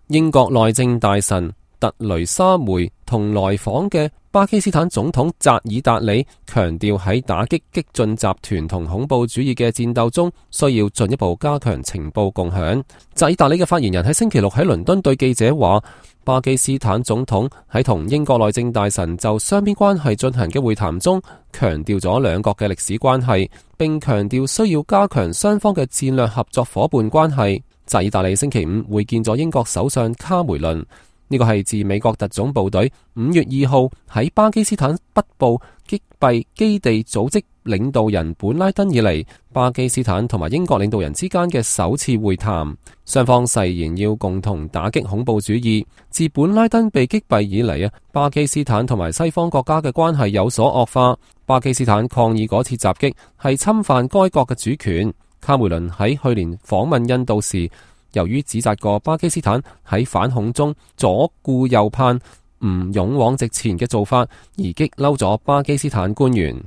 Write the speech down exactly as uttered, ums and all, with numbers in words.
英國內政大臣特雷莎梅同來訪嘅巴基斯坦總統扎爾達里強調，喺打擊激進集團同恐怖主義嘅戰鬥中，需要進一步加強情報共享。扎爾達里嘅發言人喺星期六喺倫敦對記者話，巴基斯坦總統喺同英國內政大臣就雙邊關係進行嘅會談中，強調咗兩國嘅歷史關係，並強調需要加強雙方嘅戰略合作夥伴關係。扎爾達里星期五會見咗英國首相卡梅倫。呢個係自美國特種部隊五月二號喺巴基斯坦北部擊斃基地組織領導人本拉登以嚟，巴基斯坦同埋英國領導人之間嘅首次會談。雙方誓言要共同打擊恐怖主義。自本拉登被擊斃以嚟啊，巴基斯坦同埋西方國家嘅關係有所惡化。巴基斯坦抗議嗰次襲擊係侵犯該國嘅主權。卡梅倫喺去年訪問印度時，由於指責過巴基斯坦喺反恐中左顧右盼、唔勇往直前嘅做法，而激嬲咗巴基斯坦官員。